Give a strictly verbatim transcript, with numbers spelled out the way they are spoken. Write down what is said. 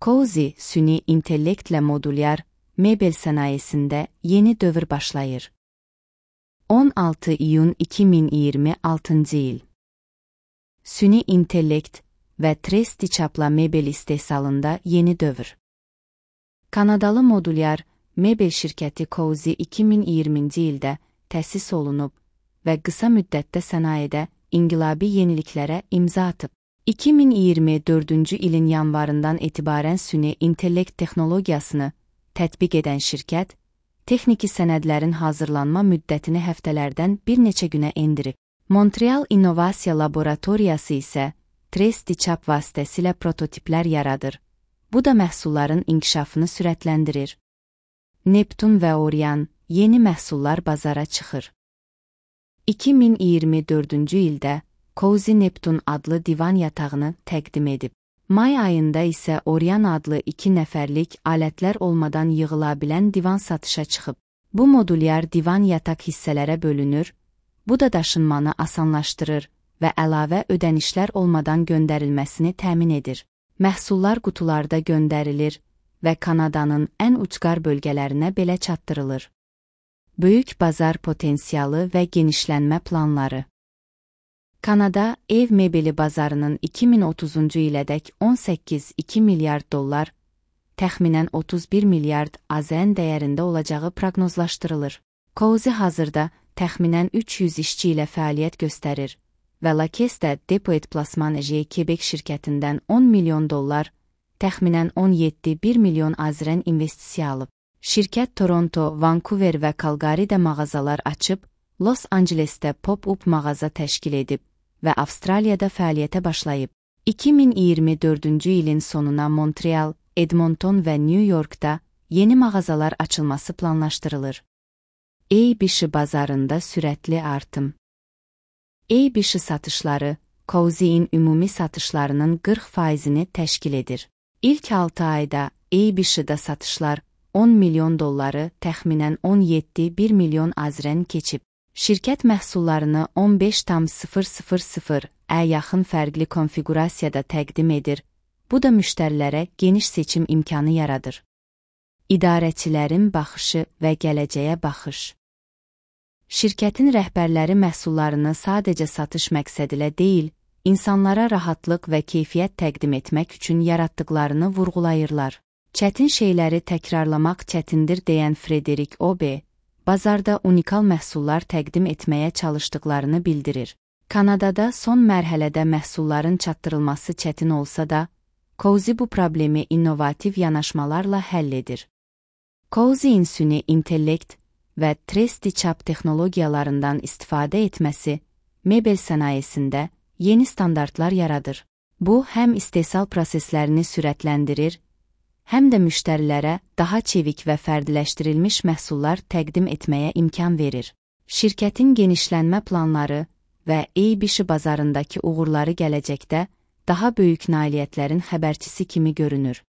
Cozy, süni intellektlə modulyar mebel sənayesində yeni dövr başlayır. on altı iyun iki min iyirmi altıncı il. Süni intellekt və tres diçapla mebel istehsalında yeni dövr. Kanadalı modulyar mebel şirkəti Cozy iki min iyirminci ildə təsis olunub və qısa müddətdə sənayedə inqilabi yeniliklərə imza atıb. iki min iyirmi dördüncü ilin yanvarından etibarən süni intellekt texnologiyasını tətbiq edən şirkət, texniki sənədlərin hazırlanma müddətini həftələrdən bir neçə günə endirib. Montreal İnnovasiya Laboratoriyası isə tres diçap vasitəsilə prototiplər yaradır. Bu da məhsulların inkişafını sürətləndirir. Neptun və Orion yeni məhsullar bazara çıxır. iki min iyirmi dördüncü ildə Cozy Neptun adlı divan yatağını təqdim edib. May ayında isə Orion adlı iki nəfərlik alətlər olmadan yığıla bilən divan satışa çıxıb. Bu modulyar divan yataq hissələrə bölünür, bu da daşınmanı asanlaşdırır və əlavə ödənişlər olmadan göndərilməsini təmin edir. Məhsullar qutularda göndərilir və Kanadanın ən ucqar bölgələrinə belə çatdırılır. Böyük bazar potensialı və genişlənmə planları. Kanada ev mebeli bazarının iki min otuzuncu ilədək on səkkiz iki milyard dollar, təxminən otuz bir milyard AZN dəyərində olacağı proqnozlaşdırılır. Cozy hazırda təxminən üç yüz işçi ilə fəaliyyət göstərir və Lakesdə Depoet Plasman Quebec şirkətindən on milyon dollar, təxminən on yeddi bir milyon AZN investisiya alıb. Şirkət Toronto, Vancouver və Calgary'də mağazalar açıb, Los Angelesdə pop-up mağaza təşkil edib və Avstraliyada fəaliyyətə başlayıb. iki min iyirmi dördüncü ilin sonuna Montreal, Edmonton və New Yorkda yeni mağazalar açılması planlaşdırılır. A B S bazarında sürətli artım. A B S satışları, Cozy'in ümumi satışlarının qırx faizini təşkil edir. İlk altı ayda A B S-da satışlar on milyon dolları, təxminən on yeddi bir milyon AZN keçib. Şirkət məhsullarını on beş min ə yaxın fərqli konfiqurasiyada təqdim edir, bu da müştərilərə geniş seçim imkanı yaradır. İdarəçilərin baxışı və gələcəyə baxış. Şirkətin rəhbərləri məhsullarını sadəcə satış məqsədilə deyil, insanlara rahatlıq və keyfiyyət təqdim etmək üçün yaratdıqlarını vurğulayırlar. Çətin şeyləri təkrarlamaq çətindir deyən Frederick Obe, bazarda unikal məhsullar təqdim etməyə çalışdıqlarını bildirir. Kanadada son mərhələdə məhsulların çatdırılması çətin olsa da, Cozy bu problemi innovativ yanaşmalarla həll edir. Cozy'in süni intellekt və tres diçap texnologiyalarından istifadə etməsi, mebel sənayesində yeni standartlar yaradır. Bu, həm istehsal proseslərini sürətləndirir, həm də müştərilərə daha çevik və fərdiləşdirilmiş məhsullar təqdim etməyə imkan verir. Şirkətin genişlənmə planları və A B S bazarındakı uğurları gələcəkdə daha böyük nailiyyətlərin xəbərçisi kimi görünür.